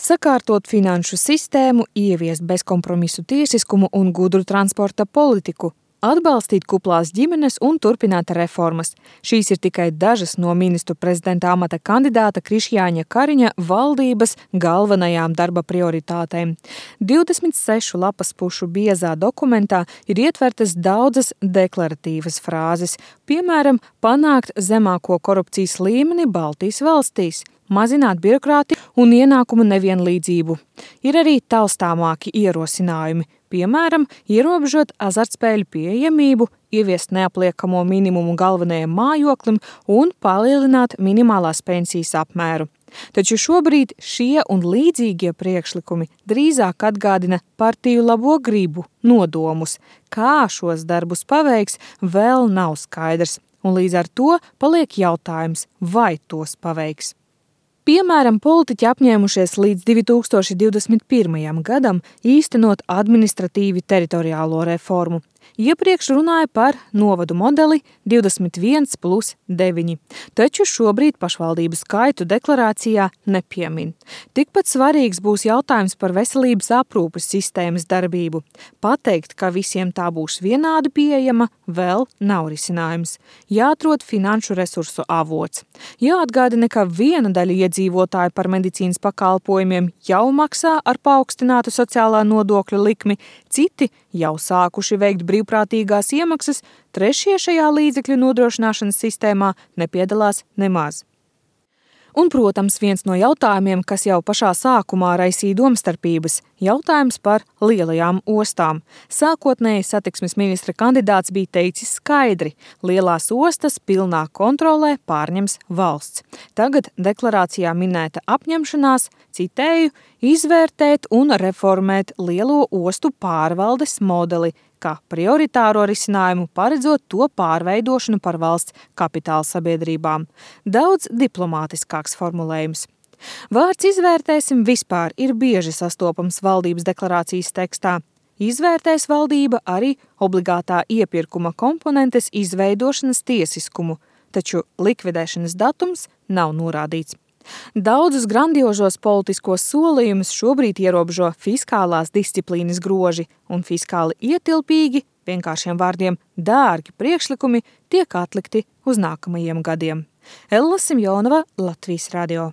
sakārtot finanšu sistēmu, ieviest bezkompromisu tiesiskumu un gudru transporta politiku, atbalstīt kuplās ģimenes un turpināt reformas. Šīs ir tikai dažas no ministru prezidenta amata kandidāta Krišjāņa Kariņa valdības galvenajām darba prioritātēm. 26 lapas pušu biezā dokumentā ir ietvertas daudzas deklaratīvas frāzes, piemēram, panākt zemāko korupcijas līmeni Baltijas valstīs, mazināt birokrātiju un ienākumu nevienlīdzību. Ir arī taustāmāki ierosinājumi, piemēram, ierobežot azartspēļu pieejamību, ieviest neapliekamo minimumu galvenajam mājoklim un palielināt minimālās pensijas apmēru. Taču šobrīd šie un līdzīgie priekšlikumi drīzāk atgādina partiju labo gribu, nodomus. Kā šos darbus paveiks, vēl nav skaidrs, un līdz ar to paliek jautājums, vai tos paveiks. Piemēram, politiķi apņēmušies līdz 2021. gadam īstenot administratīvi teritoriālo reformu. Iepriekš runāja par novadu modeli 21+9, taču šobrīd pašvaldību skaitu deklarācijā nepiemin. Tikpat svarīgs būs jautājums par veselības aprūpes sistēmas darbību. Pateikt, ka visiem tā būs vienādi pieejama, vēl nav risinājums. Jāatrod finanšu resursu avots. Jāatgādina, ka viena daļa iedzīvotāju par medicīnas pakalpojumiem jau maksā ar paaugstinātu sociālā nodokļa likmi, citi jau sākuši veikt brīvprātīgās iemaksas, trešie šajā līdzekļu nodrošināšanas sistēmā nepiedalās nemaz. Un, protams, viens no jautājumiem, kas jau pašā sākumā raisīja domstarpības, jautājums par lielajām ostām. Sākotnēji satiksmes ministra kandidāts bija teicis skaidri, lielās ostas pilnā kontrolē pārņems valsts. Tagad deklarācijā minēta apņemšanās, citēju, izvērtēt un reformēt lielo ostu pārvaldes modeli, kā prioritāro risinājumu paredzot to pārveidošanu par valsts kapitāla sabiedrībām. Daudz diplomātiskāks formulējums. Vārds izvērtēsim vispār ir bieži sastopams valdības deklarācijas tekstā. Izvērtēs valdība arī obligātā iepirkuma komponentes izveidošanas tiesiskumu, taču likvidēšanas datums nav norādīts. Daudzus grandiožos politiskos solījumus šobrīd ierobežo fiskālās disciplīnas groži un fiskāli ietilpīgi, vienkāršiem vārdiem dārgi priekšlikumi tiek atlikti uz nākamajiem gadiem. Ella Simjonova, Latvijas radio.